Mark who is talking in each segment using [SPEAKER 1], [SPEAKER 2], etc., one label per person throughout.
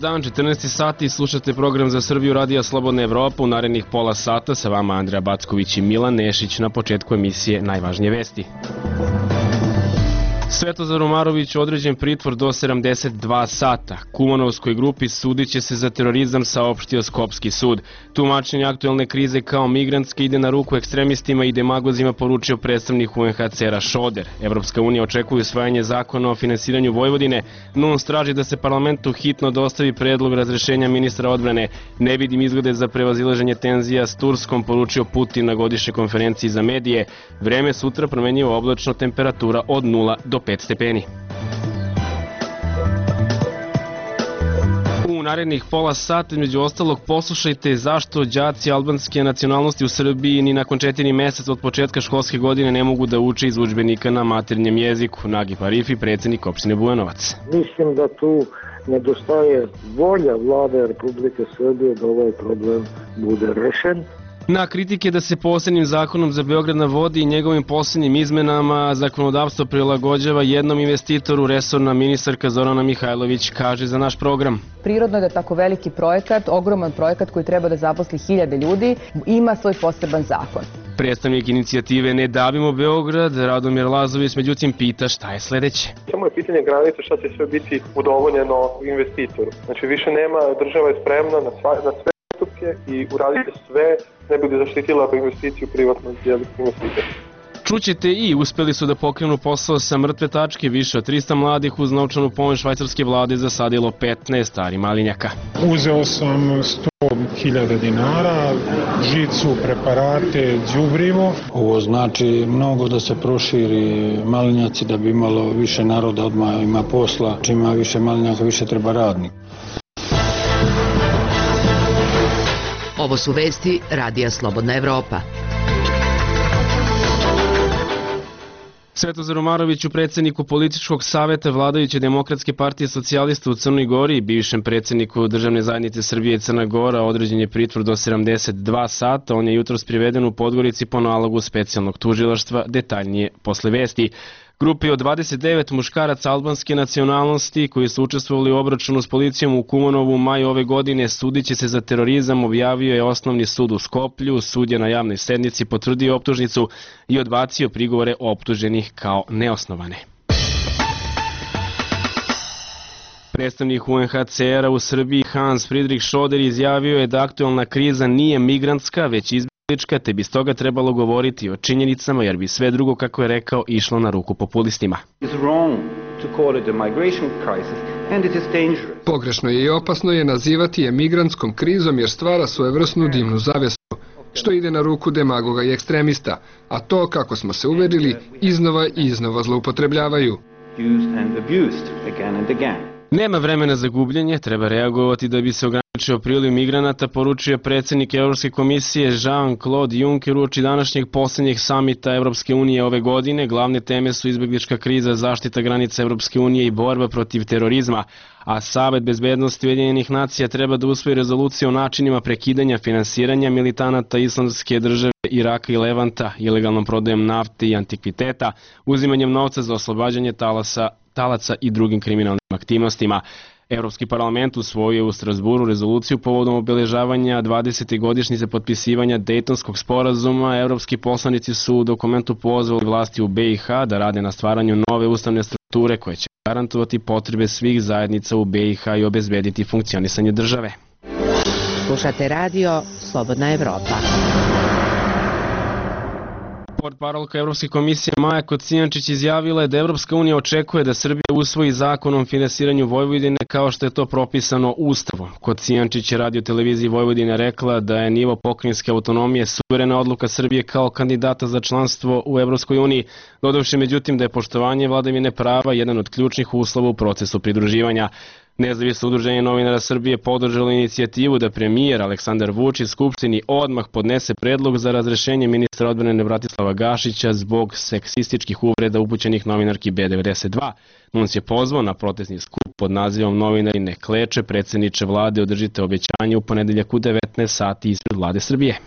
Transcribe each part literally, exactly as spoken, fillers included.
[SPEAKER 1] dan, četrnaesti sati, slušate program za Srbiju Radija Slobodna Evropa. U narednih pola sata sa vama Andreja Backović i Milan Nešić. Na početku emisije najvažnije vesti. Svetozar Omarović određen pritvor do sedamdeset dva sata. Kumanovskoj grupi sudit će se za terorizam, saopštio Skopski sud. Tumačenje aktuelne krize kao migrantske ide na ruku ekstremistima i demagozima, poručio predstavnik U N H C R-a Šoder. Evropska unija očekuje usvajanje zakona o finansiranju Vojvodine. N U N S traži da se parlamentu hitno dostavi predlog razrešenja ministra odbrane. Ne vidim izglede za prevazilaženje tenzija s Turskom, poručio Putin na godišnjoj konferenciji za medije. Vreme sutra promenjivo oblačno, temperatura od nula do pet stepeni. U narednih pola sata, među ostalog, poslušajte zašto đaci albanske nacionalnosti u Srbiji ni nakon četiri meseca od početka školske godine ne mogu da uče iz udžbenika na maternjem jeziku. Nagip Arifi, predsjednik opštine Bujanovac.
[SPEAKER 2] Mislim da tu nedostaje volja vlade Republike Srbije da ovaj problem bude rešen.
[SPEAKER 1] Na kritike da se posebnim zakonom za Beograd na vodi i njegovim posljednjim izmenama zakonodavstvo prilagođava jednom investitoru, resorna ministarka Zorana Mihajlović kaže za naš program.
[SPEAKER 3] Prirodno je da tako veliki projekat, ogroman projekat koji treba da zaposli hiljade ljudi, ima svoj poseban zakon.
[SPEAKER 1] Predstavnik inicijative Ne davimo Beograd, Radomir Lazović, međutim pita šta je sledeće.
[SPEAKER 4] Samo je pitanje granice šta će sve biti udovoljeno investitoru. Znači više nema, država je spremna na, sva, na sve i uradite sve ne bi li zaštitila investiciju privatnog investitora.
[SPEAKER 1] Čućete i uspeli su da pokrenu posao sa mrtve tačke. Više od trista mladih uz novčanu pomoć švajcarske vlade zasadilo petnaest stari malinjaka.
[SPEAKER 5] Uzeo sam sto hiljada dinara, žicu, preparate, đubrivo.
[SPEAKER 6] Ovo znači mnogo da se proširi malinjaci, da bi imalo više naroda, odmah ima posla. Čim ima više malinjaka, više treba radnika.
[SPEAKER 7] Ovo su vesti Radija Slobodna Evropa.
[SPEAKER 1] Svetozar Omaroviću, predsjedniku političkog saveta vladajuće Demokratske partije socijalista u Crnoj Gori i bivšem predsjedniku Državne zajednice Srbije i Crna Gora, određen je pritvor do sedamdeset dva sata. On je jutros priveden u Podgorici po nalogu specijalnog tužilaštva, detaljnije posle vesti. Grupi od dvadeset devet muškaraca albanske nacionalnosti koji su učestvovali u obračunu s policijom u Kumanovu u maju ove godine sudit će se za terorizam, objavio je Osnovni sud u Skoplju. Sud je na javnoj sednici potvrdio optužnicu i odbacio prigovore optuženih kao neosnovane. Predstavnik U N H C R-a u Srbiji Hans Friedrich Šoder izjavio je da aktuelna kriza nije migrantska, već izbjeglička, te bi stoga trebalo govoriti o činjenicama, jer bi sve drugo, kako je rekao, išlo na ruku populistima.
[SPEAKER 8] Pogrešno je i opasno je nazivati je migrantskom krizom, jer stvara svojevrsnu dimnu zavjesu, što ide na ruku demagoga i ekstremista, a to, kako smo se uverili, iznova i iznova zloupotrebljavaju.
[SPEAKER 1] Nema vremena za gubljenje, treba reagovati da bi se ograničio priliv migranata, poručio predsjednik Evropske komisije Jean-Claude Juncker uoči današnjeg posljednjeg samita Evropske unije ove godine. Glavne teme su izbjeglička kriza, zaštita granica Evropske unije i borba protiv terorizma, a Savet bezbednosti Ujedinjenih nacija treba da usvoji rezoluciju o načinima prekidanja finansiranja militanata Islamske države, Iraka i Levanta, ilegalnom prodajom nafte i antikviteta, uzimanjem novca za oslobađanje talasa talaca i drugim kriminalnim aktivnostima. Evropski parlament usvojio u Strasburu rezoluciju povodom obeležavanja dvadesete godišnjice potpisivanja Dejtonskog sporazuma. Evropski poslanici su u dokumentu pozvali vlasti u B i H da rade na stvaranju nove ustavne strukture koje će garantovati potrebe svih zajednica u B i H i obezbediti funkcionisanje države.
[SPEAKER 7] Slušate radio Slobodna Evropa.
[SPEAKER 1] Portparolka Evropske komisije Maja Kocijančić izjavila je da Evropska unija očekuje da Srbija usvoji zakon o finansiranju Vojvodine kao što je to propisano Ustavom. Kocijančić je radio televiziji Vojvodine rekla da je nivo pokrajinske autonomije suverena odluka Srbije kao kandidata za članstvo u Evropskoj uniji, dodavši međutim da je poštovanje vladavine prava jedan od ključnih uslova u procesu pridruživanja. Nezavisno udruženje novinara Srbije podržalo inicijativu da premijer Aleksandar Vučić Skupštini odmah podnese predlog za razrešenje ministra odbrane Bratislava Gašića zbog seksističkih uvreda upućenih novinarki B devedeset dva. N U N S je pozvao na protestni skup pod nazivom Novinari ne kleče, predsjedniče vlade, održite obećanje u ponedeljak u devetnaest sati ispred vlade Srbije.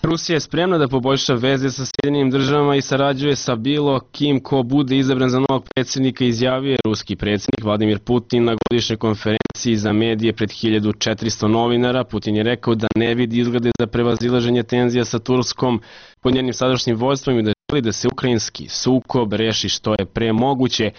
[SPEAKER 1] Rusija je spremna da poboljša veze sa Sjedinjenim državama i sarađuje sa bilo kim ko bude izabran za novog predsjednika, izjavio je ruski predsjednik Vladimir Putin na godišnjoj konferenciji za medije pred hiljadu četiristo novinara. Putin je rekao da ne vidi izglede za prevazilaženje tenzija sa Turskom pod njenim sadašnjim vođstvom i da želi da se ukrajinski sukob reši što je pre moguće.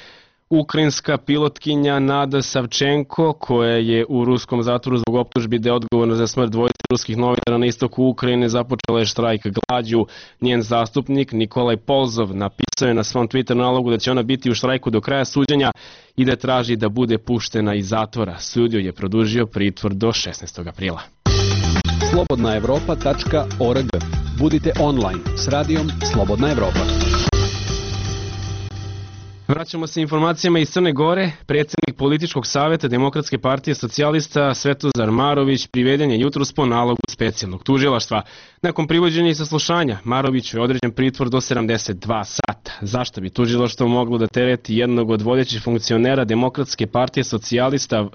[SPEAKER 1] Ukrajinska pilotkinja Nada Savčenko, koja je u ruskom zatvoru zbog optužbi da je odgovorna za smrt dvojice ruskih novinara na istoku Ukrajine, započela je štrajk glađu. Njen zastupnik Nikolaj Polzov napisao je na svom Twitter nalogu da će ona biti u štrajku do kraja suđenja i da traži da bude puštena iz zatvora. Sud joj je produžio pritvor do šesnaestog aprila.
[SPEAKER 9] slobodna evropa tačka org. Budite online s radijom Slobodna Evropa.
[SPEAKER 1] Vraćamo se informacijama iz Crne Gore. Predsjednik političkog savjeta Demokratske partije socijalista Svetozar Marović priveden je jutros po nalogu specijalnog tužilaštva. Nakon privođenja i saslušanja, Maroviću je određen pritvor do sedamdeset dva sata. Zašto bi tužilaštvo moglo da tereti jednog od vodećih funkcionera Demokratske partije socijalista,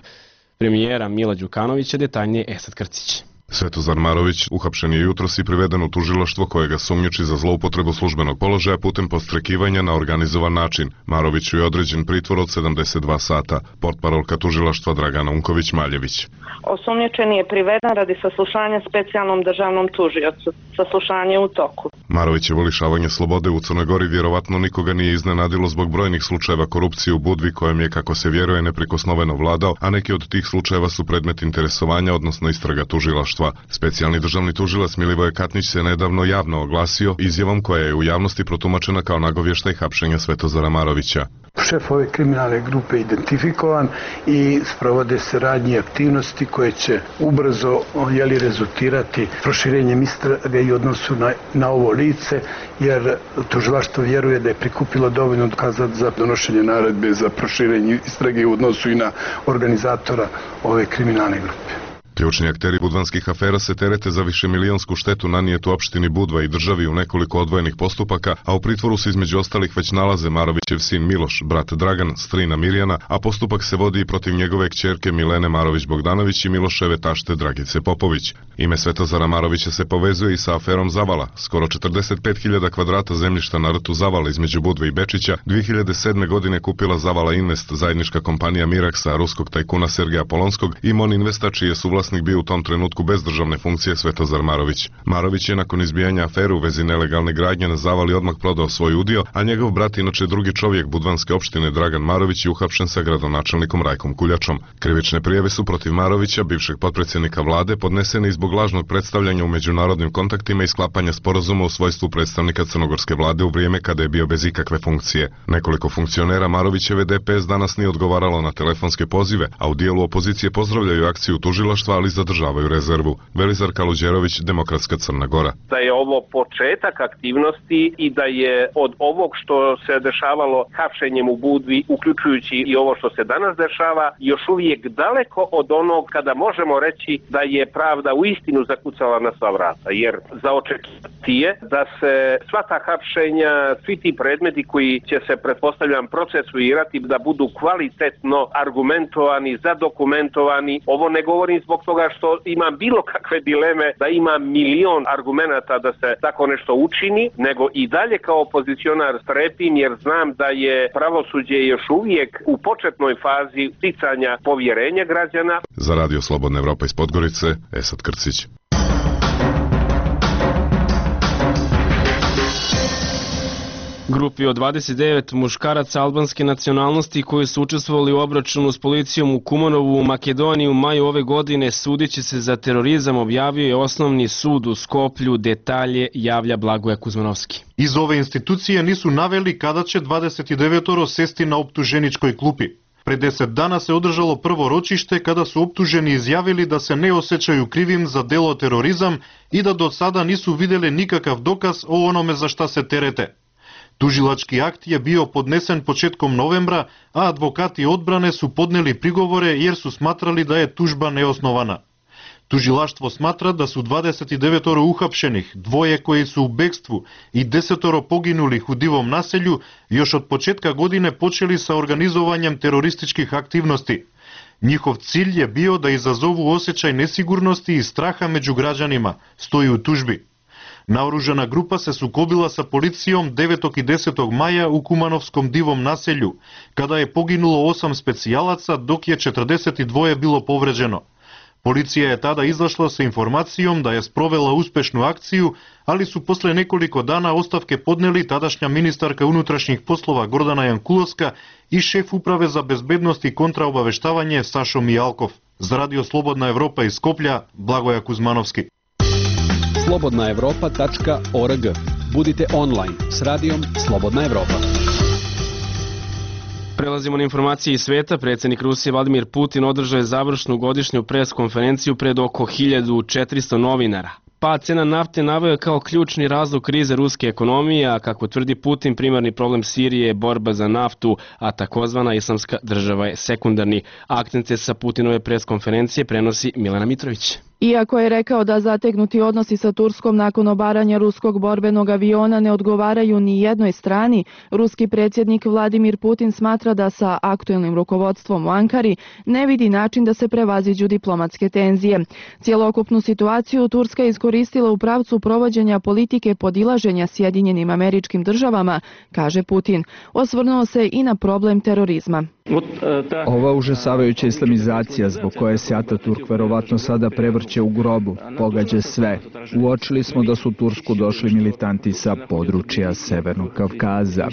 [SPEAKER 1] premijera Mila Đukanovića, detaljnije Esad Krcić.
[SPEAKER 10] Svetozar Marović uhapšen je jutros i priveden u tužilaštvo koje ga sumnjiči za zloupotrebu službenog položaja putem podstrekivanja na organizovan način. Maroviću je određen pritvor od sedamdeset dva sata. Portparolka tužilaštva Dragana Unković-Maljević.
[SPEAKER 11] Osumnjičeni je priveden radi saslušanja specijalnom državnom tužiocu. Saslušanje je u toku.
[SPEAKER 10] Marovićevo lišavanje slobode u Crnoj Gori vjerovatno nikoga nije iznenadilo zbog brojnih slučajeva korupcije u Budvi kojem je, kako se vjeruje, neprikosnoveno vladao, a neki od tih slučajeva su predmet interesovanja, odnosno istraga tužilaštva. Specijalni državni tužilac Milivoje Katnić se nedavno javno oglasio izjavom koja je u javnosti protumačena kao nagovještaj hapšenja Svetozara Marovića.
[SPEAKER 12] Šef ove kriminalne grupe identifikovan i sprovode se radnje i aktivnosti koje će ubrzo jeli, rezultirati proširenjem istrage i odnosu na, na ovo lice, jer tužilaštvo vjeruje da je prikupilo dovoljno dokaza za donošenje naredbe za proširenje istrage u odnosu i na organizatora ove kriminalne grupe.
[SPEAKER 10] Ključni akteri budvanskih afera se terete za višemilionsku štetu nanijetu opštini Budva i državi u nekoliko odvojenih postupaka, a u pritvoru se između ostalih već nalaze Marovićev sin Miloš, brat Dragan, strina Mirjana, a postupak se vodi i protiv njegove kćerke Milene Marović-Bogdanović i Miloševe tašte Dragice Popović. Ime Svetozara Marovića se povezuje i sa aferom Zavala. Skoro četrdeset pet hiljada kvadrata zemljišta na rtu Zavala između Budve i Bečića dve hiljade sedme. godine kupila Zavala Invest, zajednička kompanija Miraksa, ruskog tajkuna Sergeja Polonskog, i Mon Investa, čiji je suvlasnik bio u tom trenutku bez državne funkcije Svetozar Marović. Marović je nakon izbijanja afere u vezi nelegalne gradnje na Zavali odmah prodao svoj udio, a njegov brat, inače drugi čovjek budvanske opštine Dragan Marović, je uhapšen sa gradonačelnikom Rajkom Kuljačom. Krivične prijave su protiv Marovića, bivšeg potpredsjednika vlade, podnesene i zbog lažnog predstavljanja u međunarodnim kontaktima i sklapanja sporazuma u svojstvu predstavnika crnogorske vlade u vrijeme kada je bio bez ikakve funkcije. Nekoliko funkcionera Marovićeve D P S danas nije odgovaralo na telefonske pozive, a u dijelu opozicije pozdravljaju akciju tužilaštva, ali zadržavaju rezervu. Velizar Kaluđerović, Demokratska Crna Gora.
[SPEAKER 13] Da je ovo početak aktivnosti i da je od ovog što se dešavalo hapšenjem u Budvi, uključujući i ovo što se danas dešava, još uvijek daleko od onog kada možemo reći da je pravda u istinu zakucala na sva vrata. Jer za očekivati je da se sva ta hapšenja, svi ti predmeti koji će se, pretpostavljam, procesuirati, da budu kvalitetno argumentovani, zadokumentovani. Ovo ne govorim zbog toga što imam bilo kakve dileme da ima milion argumenata da se tako nešto učini, nego i dalje kao opozicionar strepim jer znam da je pravosuđe još uvijek u početnoj fazi sticanja povjerenja građana.
[SPEAKER 10] Za Radio Slobodna Evropa iz Podgorice, Esad Krcić.
[SPEAKER 1] Grupi od dvadeset devet muškaraca albanske nacionalnosti koji su učestvovali u obračunu s policijom u Kumanovu u Makedoniji u maju ove godine sudići se za terorizam, objavio je Osnovni sud u Skoplju. Detalje javlja Blagoje Kuzmanovski.
[SPEAKER 14] Iz ove institucije nisu naveli kada će dvadeset devetoro sesti na optuženičkoj klupi. Pre deset dana se održalo prvo ročište kada su optuženi izjavili da se ne osjećaju krivim za delo terorizam i da do sada nisu vidjeli nikakav dokaz o onome za šta se terete. Tužilački akt je bio podnesen početkom novembra, a advokati odbrane su podneli prigovore jer su smatrali da je tužba neosnovana. Tužilaštvo smatra da su dvadeset devetoro uhapšenih, dvoje koji su u bekstvu i desetoro poginulih u Divom naselju još od početka godine počeli sa organizovanjem terorističkih aktivnosti. Njihov cilj je bio da izazovu osjećaj nesigurnosti i straha među građanima, stoji u tužbi. Naoružana grupa se sukobila sa policijom devetog i desetog maja u Kumanovskom divom naselju, kada je poginulo osam specijalaca, dok je četrdeset dva bilo povređeno. Policija je tada izašla sa informacijom da je sprovela uspešnu akciju, ali su posle nekoliko dana ostavke podneli tadašnja ministarka unutrašnjih poslova Gordana Jankulovska i šef uprave za bezbednost i kontraobaveštavanje Sašo Mijalkov. Za Radio Slobodna Evropa iz Skoplja, Blagoja Kuzmanovski.
[SPEAKER 9] slobodna evropa tačka org. Budite online s radijom Slobodna Evropa.
[SPEAKER 1] Prelazimo na informacije iz sveta. Predsjednik Rusije Vladimir Putin održao je završnu godišnju pres konferenciju pred oko hiljadu četiristo novinara. Pad cena nafte naveo je kao ključni razlog krize ruske ekonomije, a kako tvrdi Putin, primarni problem Sirije je borba za naftu, a takozvana islamska država je sekundarni. Akcente sa Putinove pres konferencije prenosi Milena Mitrović.
[SPEAKER 15] Iako je rekao da zategnuti odnosi sa Turskom nakon obaranja ruskog borbenog aviona ne odgovaraju ni jednoj strani, ruski predsjednik Vladimir Putin smatra da sa aktuelnim rukovodstvom u Ankari ne vidi način da se prevaziđu diplomatske tenzije. Cijelokupnu situaciju Turska je iskoristila u pravcu provođenja politike podilaženja Sjedinjenim Američkim Državama, kaže Putin. Osvrnuo se i na problem terorizma.
[SPEAKER 16] Ova užasavajuća islamizacija zbog koje se Ataturk verovatno sada prevrće u grobu, pogađa sve. Uočili smo da su u Tursku došli militanti sa područja Severnog Kavkaza.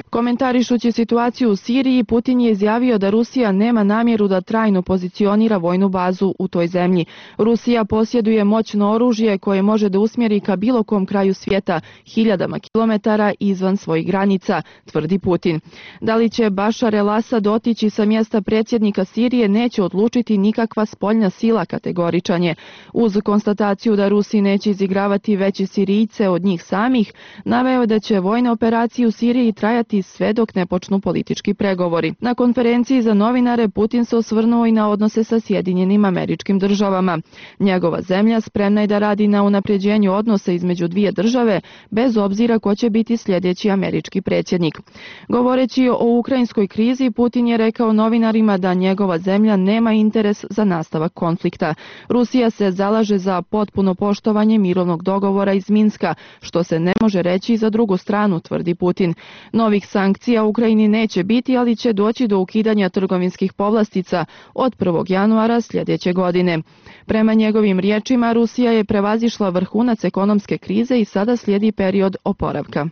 [SPEAKER 15] Komentarišući situaciju u Siriji, Putin je izjavio da Rusija nema namjeru da trajno pozicionira vojnu bazu u toj zemlji. Rusija posjeduje moćno oružje koje može da usmjeri ka bilo kom kraju svijeta, hiljadama kilometara izvan svojih granica, tvrdi Putin. Da li će Bašar el-Asad otići sa mjesta predsjednika Sirije neće odlučiti nikakva spoljna sila, kategoričan je. Uz konstataciju da Rusi neće izigravati veći Sirijce od njih samih, naveo da će vojne operacije u Siriji trajati sve dok ne počnu politički pregovori. Na konferenciji za novinare Putin se osvrnuo i na odnose sa Sjedinjenim Američkim Državama. Njegova zemlja spremna je da radi na unapređenju odnosa između dvije države, bez obzira ko će biti sljedeći američki predsjednik. Govoreći o ukrajinskoj krizi, Putin je rekao novinarima da njegova zemlja nema interes za nastavak konflikta. Rusija se zalaže za potpuno poštovanje mirovnog dogovora iz Minska, što se ne može reći za drugu stranu, tvrdi Putin. Novih sankcija Ukrajini neće biti, ali će doći do ukidanja trgovinskih povlastica od prvog januara sljedeće godine. Prema njegovim riječima, Rusija je prevazišla vrhunac ekonomske krize i sada slijedi period oporavka.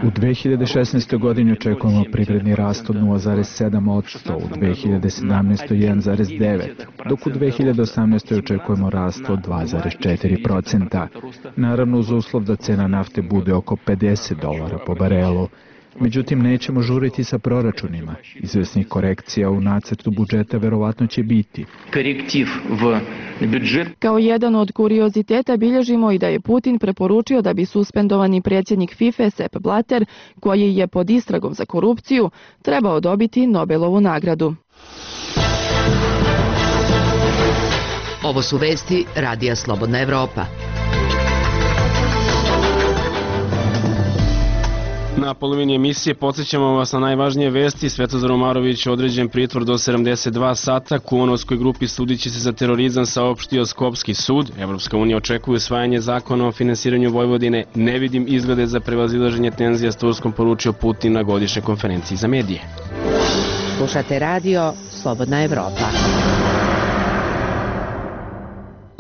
[SPEAKER 16] U dve hiljade šesnaestoj. godini očekujemo privredni rast od nula zarez sedam posto, u dve hiljade sedamnaestoj. jedan zarez devet, dok u dve hiljade osamnaestoj. očekujemo rast od dva zarez četiri posto. Naravno uz uslov da cena nafte bude oko pedeset dolara po barelu. Međutim, nećemo žuriti sa proračunima. Izvesnih korekcija u nacrtu budžeta verovatno će biti.
[SPEAKER 15] Kao jedan od kurioziteta bilježimo i da je Putin preporučio da bi suspendovani predsjednik FIFA Sepp Blatter, koji je pod istragom za korupciju, trebao dobiti Nobelovu nagradu.
[SPEAKER 7] Ovo su vesti Radija Slobodna Evropa.
[SPEAKER 1] Na polovini emisije podsjećamo vas na najvažnije vesti. Svetozar Omarović određen pritvor do sedamdeset dva sata. Kumanovskoj grupi sudiće se za terorizam, saopštio Skopski sud. Evropska unija očekuje usvajanje zakona o finansiranju Vojvodine. Ne vidim izglede za prevazilaženje tenzija s Turskom, poručio Putin na godišnjoj konferenciji za medije.
[SPEAKER 7] Slušate radio Slobodna Evropa.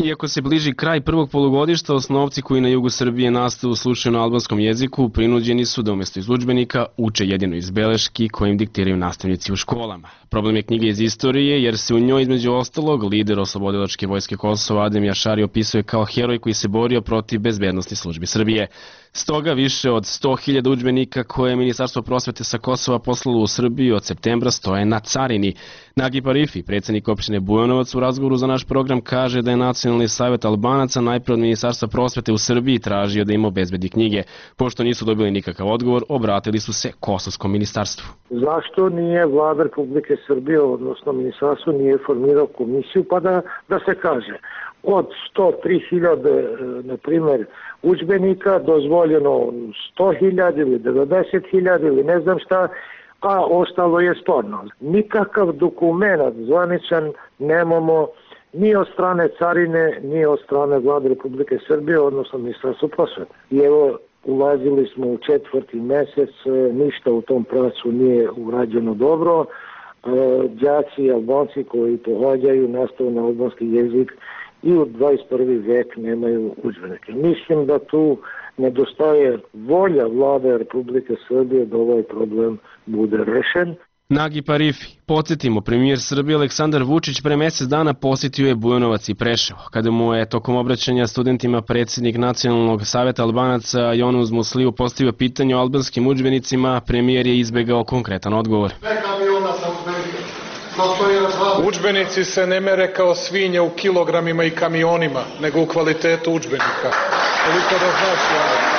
[SPEAKER 1] Iako se bliži kraj prvog polugodišta, osnovci koji na jugu Srbije nastavu slušaju na albanskom jeziku prinuđeni su da umjesto iz udžbenika uče jedino iz beleški koje im diktiraju nastavnici u školama. Problem je knjiga iz istorije jer se u njoj između ostalog lider oslobodilačke vojske Kosova Adem Jašari opisuje kao heroj koji se borio protiv bezbednosti službi Srbije. Stoga više od sto hiljada udžbenika koje je Ministarstvo prosvete sa Kosova poslalo u Srbiju od septembra stoje na carini. Nagi Parifi, predsjednik opštine Bujanovac, u razgovoru za naš program kaže da je Nacionalni savjet Albanaca najprije od Ministarstva prosvete u Srbiji tražio da im obezbedi knjige. Pošto nisu dobili nikakav odgovor, obratili su se Kosovskom ministarstvu.
[SPEAKER 2] Zašto nije vlada Republike Srbije, odnosno ministarstvo, nije formirao komisiju pa da, da se kaže od sto tri hiljade, na primjer, udžbenika dozvoljeno sto hiljada ili devedeset hiljada ili ne znam šta, a ostalo je sporno. Nikakav dokument zvaničan nemamo ni od strane carine, ni od strane vlade Republike Srbije, odnosno ministarstva prosvete. I evo, ulazili smo u četvrti mesec, ništa u tom pravcu nije urađeno dobro. Đaci i Albanci koji pohađaju nastavu na albanski jezik i u dvadeset prvi vek nemaju udžbenike. Mislim da tu nedostaje volja vlade Republike Srbije da ovaj problem bude rešen.
[SPEAKER 1] Nagi Parifi. Podsjetimo, premijer Srbije Aleksandar Vučić pre mesec dana posjetio je Bujanovac i Preševo. Kada mu je tokom obraćanja studentima predsjednik Nacionalnog saveta Albanaca Jonuz Musliju postavio pitanje o albanskim udžbenicima, premijer je izbegao konkretan odgovor.
[SPEAKER 17] Udžbenici se ne mere kao svinje u kilogramima i kamionima, nego u kvalitetu udžbenika. Koliko da znaš ja?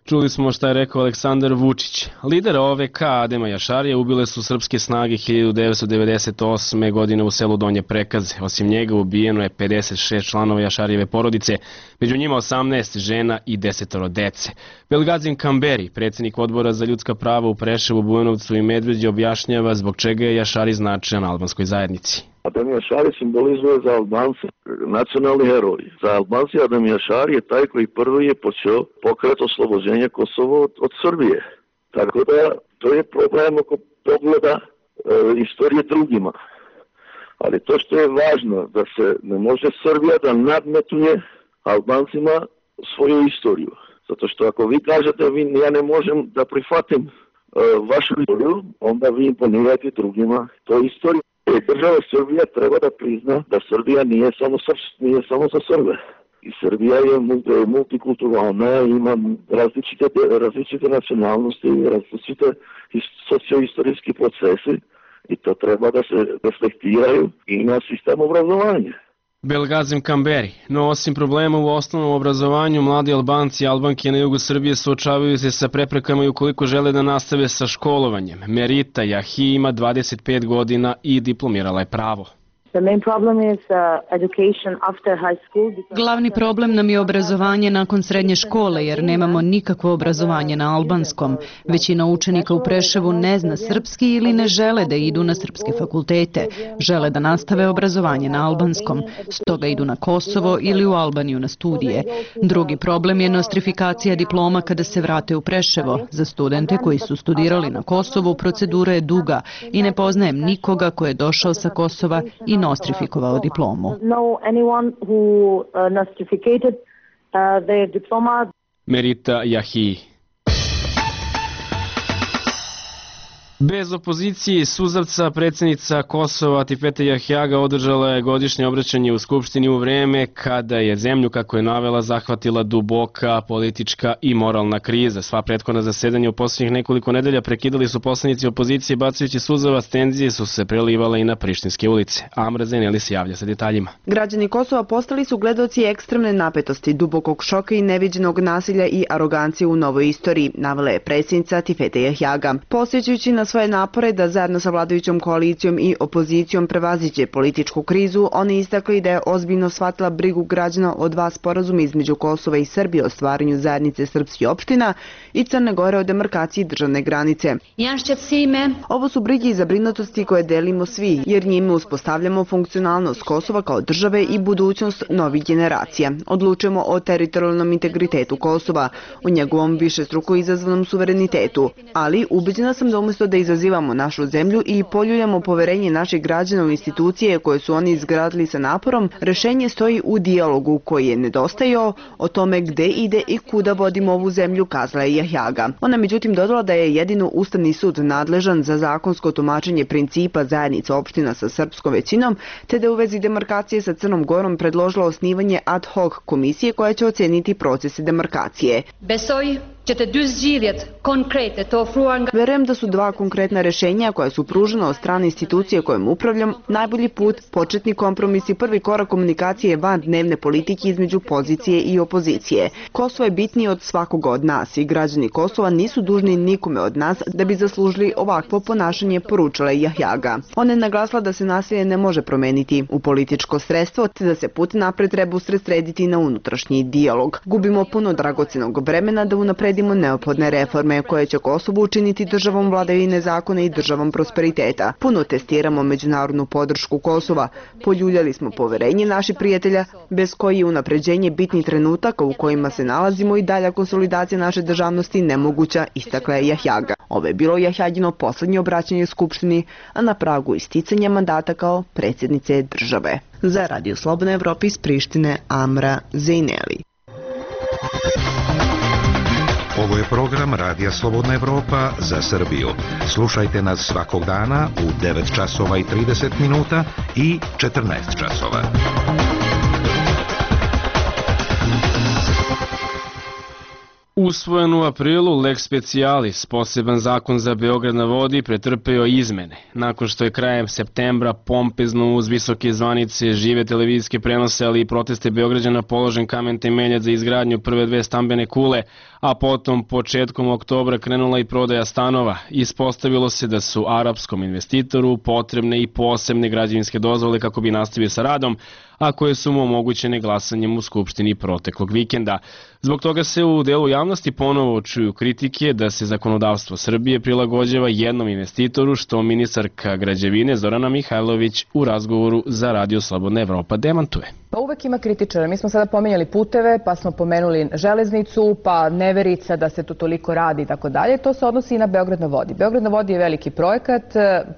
[SPEAKER 1] Čuli smo šta je rekao Aleksandar Vučić. Lidera O V K Adema Jašarija ubile su srpske snage hiljadu devetsto devedeset osme. godine u selu Donje Prekaze. Osim njega ubijeno je pedeset šest članova Jašarijeve porodice, među njima osamnaest žena i desetoro dece. Belgazim Kamberi, predsjednik odbora za ljudska prava u Preševu, Bujanovcu i Medveđi, objašnjava zbog čega je Jašari značajan albanskoj zajednici.
[SPEAKER 18] Adem Jašari simbolizuje za Albance nacionalni heroj. Za Albanci Adem Jašari je taj koji prvi je počeo pokret oslobođenja Kosova od, od Srbije. Tako da to je problem oko pogleda e, istorije drugima. Ali to što je važno da se ne može Srbija da nadmetuje Albancima svoju istoriju. Zato što ako vi kažete vi, ja ne možem da prihvatim e, vašu istoriju, onda vi imponirate drugima to istoriju. Država Srbija treba da prizna da Srbija nije samo, nije samo za Srbe. I Srbija je multikulturalna, ima različite, različite nacionalnosti, različite socioistorijski procesi i to treba da se reflektiraju i na sistem obrazovanja.
[SPEAKER 1] Belgazim Kamberi. No osim problema u osnovnom obrazovanju, mladi Albanci i Albanke na jugu Srbije suočavaju se sa preprekama i ukoliko žele da nastave sa školovanjem. Merita Jahi ima dvadeset pet godina i diplomirala je pravo.
[SPEAKER 19] Glavni problem nam je obrazovanje nakon srednje škole jer nemamo nikakvo obrazovanje na albanskom. Većina učenika u Preševu ne zna srpski ili ne žele da idu na srpske fakultete. Žele da nastave obrazovanje na albanskom. Stoga idu na Kosovo ili u Albaniju na studije. Drugi problem je nostrifikacija diploma kada se vrate u Preševo. Za studente koji su studirali na Kosovu procedura je duga i ne poznajem nikoga ko je došao sa Kosova i nostrifikovao diplomu.
[SPEAKER 1] Merita Jahi. Bez opozicije i suzavca predsjednica Kosova Tifete Jahjaga održala je godišnje obraćanje u Skupštini u vreme kada je zemlju, kako je navela, zahvatila duboka politička i moralna kriza. Sva prethodna zasedanja u posljednjih nekoliko nedelja prekidali su poslanici opozicije bacajući suzavac, tenzije su se prelivale i na prištinske ulice. Amra Zeneli se javlja sa detaljima.
[SPEAKER 20] Građani Kosova postali su gledaoci ekstremne napetosti, dubokog šoka i neviđenog nasilja i arogancije u novoj istoriji, navela je predsjednica Tifete Jahjaga. Posjećujući na svoje napore da zajedno sa vladajućom koalicijom i opozicijom prevaziđe političku krizu, oni istakli da je ozbiljno shvatila brigu građana o dva sporazuma između Kosova i Srbije o stvaranju zajednice srpskih opština i Crne Gore o demarkaciji državne granice. Ovo su brige i zabrinutosti koje delimo svi, jer njime uspostavljamo funkcionalnost Kosova kao države i budućnost novih generacija. Odlučujemo o teritorijalnom integritetu Kosova, o njegovom višestruko izazvanom suverenitetu, ali ubeđena sam da umjesto da izazivamo našu zemlju i poljuljamo poverenje naših građana u institucije koje su oni izgradili sa naporom, rešenje stoji u dijalogu koji je nedostajao o tome gde ide i kuda vodimo ovu zemlju, kazala je Jahjaga. Ona međutim dodala da je jedino Ustavni sud nadležan za zakonsko tumačenje principa zajednice opština sa srpskom većinom, te da u vezi demarkacije sa Crnom Gorom predložila osnivanje ad hoc komisije koja će oceniti procese demarkacije.
[SPEAKER 21] Besoj ćete duzživjet konkrete to fruan...
[SPEAKER 20] Verujem da su dva konkretna rešenja koja su pružena od strane institucije kojom upravljam najbolji put, početni kompromis i prvi korak komunikacije van dnevne politike između pozicije i opozicije. Kosovo je bitniji od svakoga od nas i građani Kosova nisu dužni nikome od nas da bi zaslužili ovakvo ponašanje, poručila je Jahjaga. Ona je naglasila da se nasilje ne može promeniti u političko sredstvo, te da se put napred treba usredsrediti na unutrašnji dijalog. Gubimo puno dragocenog vremena da unapredimo obezbedimo neophodne reforme koje će Kosovo učiniti državom vladavine zakona i državom prosperiteta. Puno testiramo međunarodnu podršku Kosova. Poljuljali smo poverenje naših prijatelja, bez koji je unapređenje bitnih trenutaka u kojima se nalazimo i dalja konsolidacija naše državnosti nemoguća, istakla je Jahjaga. Ovo je bilo Jahjagino poslednje obraćanje Skupštini, a na pragu isticanja mandata kao predsjednice države. Za Radio Slobodna Evropa iz Prištine, Amra Zejneli.
[SPEAKER 3] Ovo je program Radija Slobodna Evropa za Srbiju. Slušajte nas svakog dana u devet časova i trideset minuta i četrnaest časova.
[SPEAKER 1] Usvojen u aprilu lex specialis, poseban zakon za Beograd na vodi, pretrpeo izmene. Nakon što je krajem septembra pompezno uz visoke zvanice, žive televizijske prenose, ali i proteste Beograđana položen kamen temeljac za izgradnju prve dve stambene kule, a potom početkom oktobra krenula i prodaja stanova. Ispostavilo se da su arapskom investitoru potrebne i posebne građevinske dozvole kako bi nastavio sa radom, a koje su mu omogućene glasanjem u Skupštini proteklog vikenda. Zbog toga se u delu javnosti ponovo čuju kritike da se zakonodavstvo Srbije prilagođava jednom investitoru, što ministarka građevine Zorana Mihajlović u razgovoru za Radio Slobodna Evropa demantuje.
[SPEAKER 22] Pa uvek ima kritičara. Mi smo sada pomenjali puteve, pa smo pomenuli železnicu, pa neverica da se tu toliko radi i tako dalje. To se odnosi i na Beograd na vodi. Beograd na vodi je veliki projekat.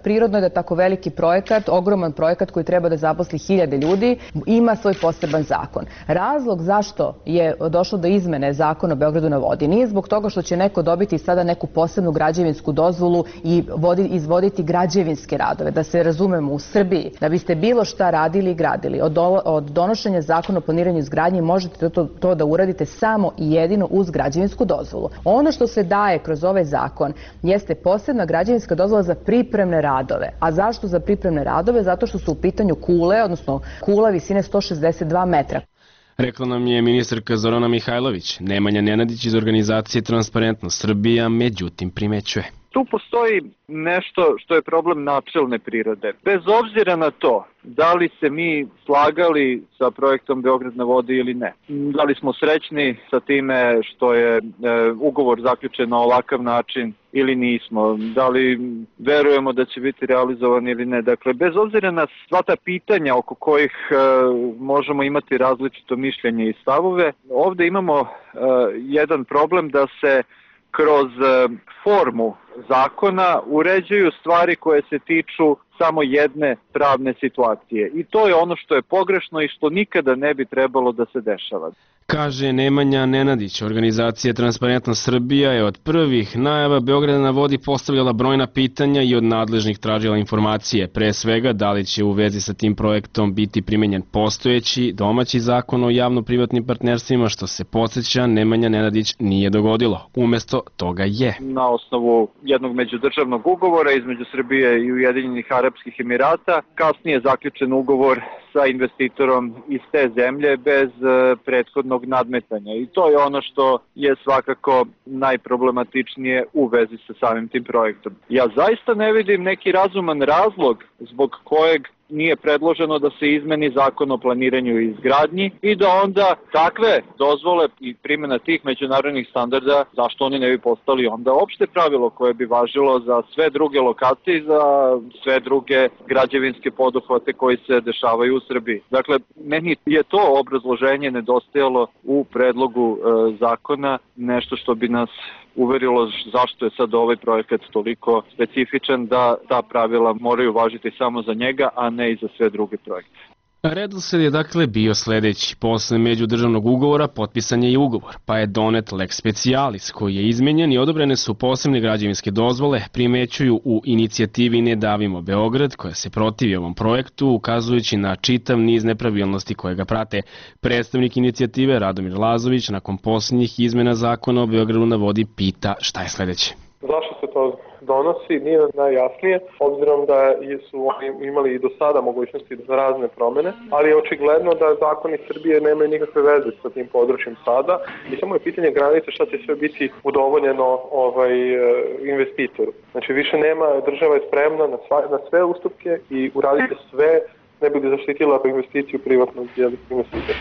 [SPEAKER 22] Prirodno je da tako veliki projekat, ogroman projekat koji treba da zaposli hiljade ljudi, ima svoj poseban zakon. Razlog zašto je došlo do izmene zakona o Beogradu na vodi nije zbog toga što će neko dobiti sada neku posebnu građevinsku dozvolu i izvoditi građevinske radove. Da se razumemo, u Srbiji, da biste bilo šta radili i gradili, od, od donošenja zakona o planiranju izgradnji možete to, to da uradite samo i jedino uz građevinsku dozvolu. Ono što se daje kroz ovaj zakon jeste posebna građevinska dozvola za pripremne radove. A zašto za pripremne radove? Zato što su u pitanju kule, odnosno kula visine sto šezdeset dva metra.
[SPEAKER 1] Rekla nam je ministarka Zorana Mihajlović. Nemanja Nenadić iz organizacije Transparentnost Srbija međutim primećuje.
[SPEAKER 23] Tu postoji nešto što je problem načelne prirode. Bez obzira na to da li se mi slagali sa projektom Beograd na vodi ili ne. Da li smo srećni sa time što je e, ugovor zaključen na ovakav način ili nismo. Da li verujemo da će biti realizovan ili ne. Dakle, bez obzira na sva ta pitanja oko kojih e, možemo imati različito mišljenje i stavove, ovde imamo e, jedan problem da se kroz formu zakona uređuju stvari koje se tiču samo jedne pravne situacije. I to je ono što je pogrešno i što nikada ne bi trebalo da se dešava.
[SPEAKER 1] Kaže Nemanja Nenadić. Organizacija Transparentnost Srbija je od prvih najava Beograda na vodi postavljala brojna pitanja i od nadležnih tražila informacije. Pre svega, da li će u vezi sa tim projektom biti primenjen postojeći domaći zakon o javno-privatnim partnerstvima, što se podsjeća Nemanja Nenadić nije dogodilo. Umesto toga je.
[SPEAKER 23] Na osnovu jednog međudržavnog ugovora između Srbije i Ujedinjenih Arapskih Emirata, kasnije zaključen ugovor sa investitorom iz te zemlje bez prethodnog nadmetanja. I to je ono što je svakako najproblematičnije u vezi sa samim tim projektom. Ja zaista ne vidim neki razuman razlog zbog kojeg nije predloženo da se izmeni zakon o planiranju i izgradnji i da onda takve dozvole i primjena tih međunarodnih standarda, zašto oni ne bi postali onda opšte pravilo koje bi važilo za sve druge lokacije i za sve druge građevinske poduhvate koji se dešavaju u Srbiji. Dakle, meni je to obrazloženje nedostajalo u predlogu e, zakona, nešto što bi nas uverilo zašto je sad ovaj projekat toliko specifičan da ta pravila moraju važiti samo za njega, a ne i za sve druge projekte.
[SPEAKER 1] Redosled je dakle bio sledeći. Posle međudržavnog ugovora potpisan je i ugovor, pa je donet lex specialis koji je izmenjen i odobrene su posebne građevinske dozvole, primećuju u inicijativi Ne davimo Beograd, koja se protivi ovom projektu, ukazujući na čitav niz nepravilnosti koje ga prate. Predstavnik inicijative Radomir Lazović nakon posljednjih izmena zakona o Beogradu na vodi pita šta je sledeće.
[SPEAKER 4] Zašto se to donosi, nije najjasnije, obzirom da su oni imali i do sada mogućnosti za razne promene, ali je očigledno da zakoni Srbije nemaju nikakve veze sa tim područjem sada i samo je pitanje granice šta će sve biti udovoljeno ovaj, investitoru. Znači više nema, država je spremna na, sva, na sve ustupke i uraditi sve ne bi zaštitila investiciju privatnog investitora.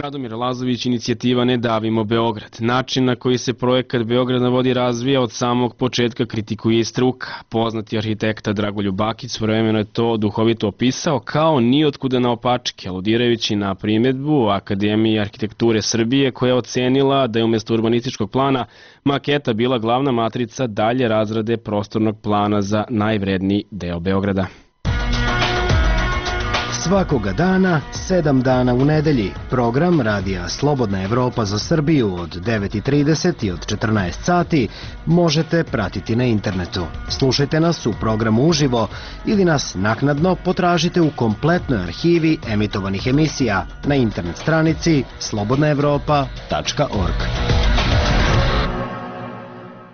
[SPEAKER 1] Radomir Lazović, inicijativa Ne davimo Beograd. Način na koji se projekat Beograd na vodi razvija od samog početka kritikuje i struka. Poznati arhitekta Dragoljub Bakić svojevremeno je to duhovito opisao kao nijotkuda naopačke, aludirajući na primedbu Akademije arhitekture Srbije koja je ocenila da je umjesto urbanističkog plana maketa bila glavna matrica dalje razrade prostornog plana za najvredniji deo Beograda.
[SPEAKER 5] Svakoga dana, sedam dana u nedelji, program Radija Slobodna Evropa za Srbiju od devet i trideset i od četrnaest sati možete pratiti na internetu. Slušajte nas u programu uživo ili nas naknadno potražite u kompletnoj arhivi emitovanih emisija na internet stranici slobodna evropa tačka org.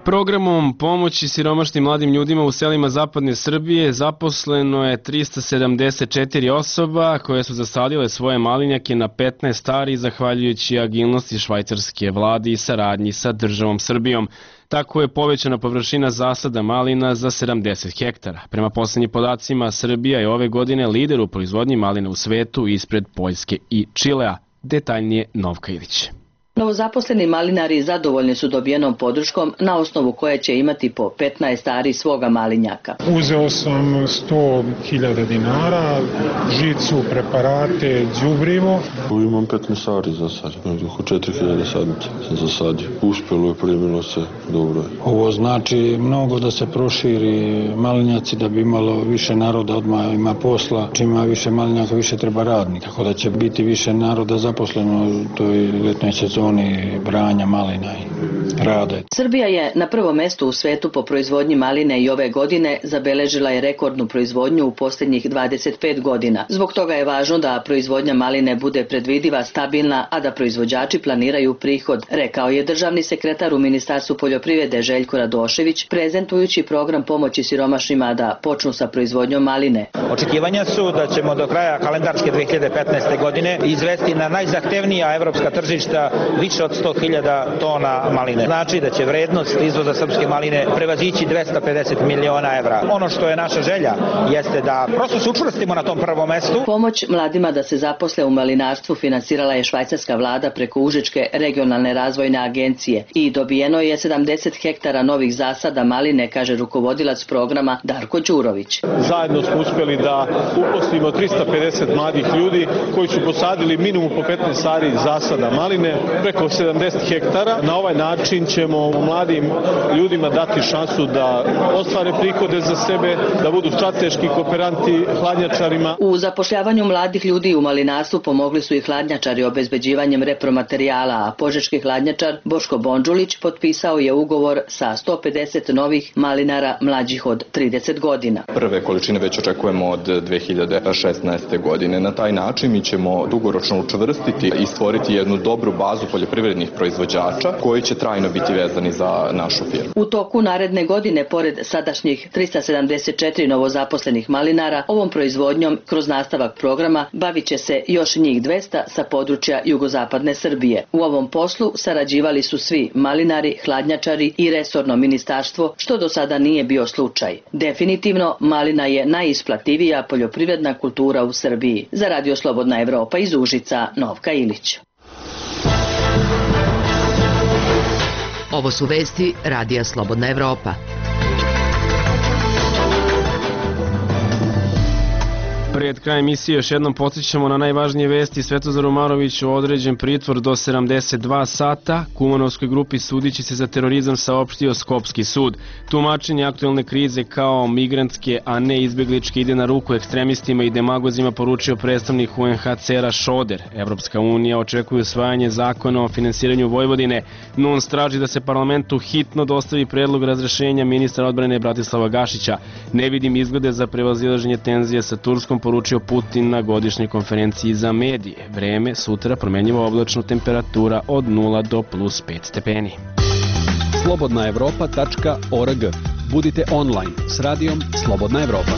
[SPEAKER 1] Programom pomoći siromašnim mladim ljudima u selima zapadne Srbije zaposleno je trista sedamdeset četiri osoba koje su zasadile svoje malinjake na petnaest stari zahvaljujući agilnosti švajcarske vlade i saradnji sa državom Srbijom. Tako je povećana površina zasada malina za sedamdeset hektara. Prema poslednjim podacima, Srbija je ove godine lider u proizvodnji malina u svetu ispred Poljske i Čilea. Detaljnije Novka Ilić.
[SPEAKER 6] Novozaposleni malinari zadovoljni su dobijenom podrškom na osnovu koje će imati po petnaest ari svoga malinjaka.
[SPEAKER 8] Uzeo sam sto hiljada dinara, žicu, preparate, đubrivo.
[SPEAKER 24] Imam petnaest ari za sad, oko četiri hiljade sadnica sam zasadio. Uspelo je, primilo se, dobro je.
[SPEAKER 25] Ovo znači mnogo da se proširi malinjaci, da bi imalo više naroda, odmah ima posla. Čim ima više malinjaka, više treba radnika, tako da će biti više naroda zaposleno u toj letnoj sezoni branja malina i rade.
[SPEAKER 6] Srbija je na prvom mestu u svetu po proizvodnji maline i ove godine zabeležila je rekordnu proizvodnju u posljednjih dvadeset pet godina. Zbog toga je važno da proizvodnja maline bude predvidiva, stabilna, a da proizvođači planiraju prihod, rekao je državni sekretar u Ministarstvu poljoprivrede Željko Radošević, prezentujući program pomoći siromašnima da počnu sa proizvodnjom maline.
[SPEAKER 26] Očekivanja su da ćemo do kraja kalendarske dve hiljade petnaeste. godine izvesti na najzahtevnija evropska tržišta više od sto hiljada tona maline. Znači da će vrednost izvoza srpske maline prevazići dvesta pedeset miliona evra. Ono što je naša želja jeste da prosto se učvrstimo na tom prvom mestu.
[SPEAKER 6] Pomoć mladima da se zaposle u malinarstvu finansirala je švajcarska vlada preko Užičke regionalne razvojne agencije i dobijeno je sedamdeset hektara novih zasada maline, kaže rukovodilac programa Darko Đurović.
[SPEAKER 27] Zajedno smo uspjeli da uposlimo trista pedeset mladih ljudi koji su posadili minimum po petnaest ari zasada maline, preko sedamdeset hektara. Na ovaj način ćemo mladim ljudima dati šansu da ostvare prihode za sebe, da budu strateški kooperanti hladnjačarima.
[SPEAKER 6] U zapošljavanju mladih ljudi u malinarstvu pomogli su i hladnjačari obezbeđivanjem repromaterijala, a požeški hladnjačar Boško Bondžulić potpisao je ugovor sa sto pedeset novih malinara mlađih od trideset godina.
[SPEAKER 28] Prve količine već očekujemo od dve hiljade šesnaeste. godine. Na taj način mi ćemo dugoročno učvrstiti i stvoriti jednu dobru bazu poljoprivrednih proizvođača koji će trajno biti vezani za našu firmu.
[SPEAKER 6] U toku naredne godine, pored sadašnjih trista sedamdeset četiri novozaposlenih malinara, ovom proizvodnjom kroz nastavak programa bavit će se još njih dvesta sa područja jugozapadne Srbije. U ovom poslu sarađivali su svi malinari, hladnjačari i resorno ministarstvo, što do sada nije bio slučaj. Definitivno, malina je najisplativija poljoprivredna kultura u Srbiji. Za Radio Slobodna Evropa iz Užica, Novka Ilić.
[SPEAKER 7] Ovo su vesti Radija Slobodna Evropa.
[SPEAKER 1] Pred kraj emisije još jednom podsjećamo na najvažnije vesti. Svetozar Umarović određen pritvor do sedamdeset dva sata. Kumanovskoj grupi sudići se za terorizam saopštio Skopski sud. Tumačenje aktuelne krize kao migrantske, a ne izbjegličke ide na ruku ekstremistima i demagozima, poručio predstavnik U N H C R-a Šoder. Evropska unija očekuje usvajanje zakona o finansiranju Vojvodine. N U N S traži da se parlamentu hitno dostavi predlog razrešenja ministra odbrane Bratislava Gašića. Ne vidim izglede za prevazilaženje tenzije sa Turskom, poručio Putin na godišnjoj konferenciji za medije. Vreme sutra promenjivo oblačno, temperatura od nula do plus pet stepeni.
[SPEAKER 9] slobodna evropa tačka org. Budite online s radijom Slobodna Evropa.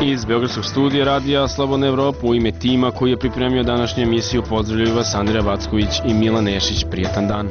[SPEAKER 1] Iz Beogradskog studija Radija Slobodna Evropa u ime tima koji je pripremio današnju emisiju pozdravljaju vas Andrija Vacković i Milan Nešić. Prijetan dan.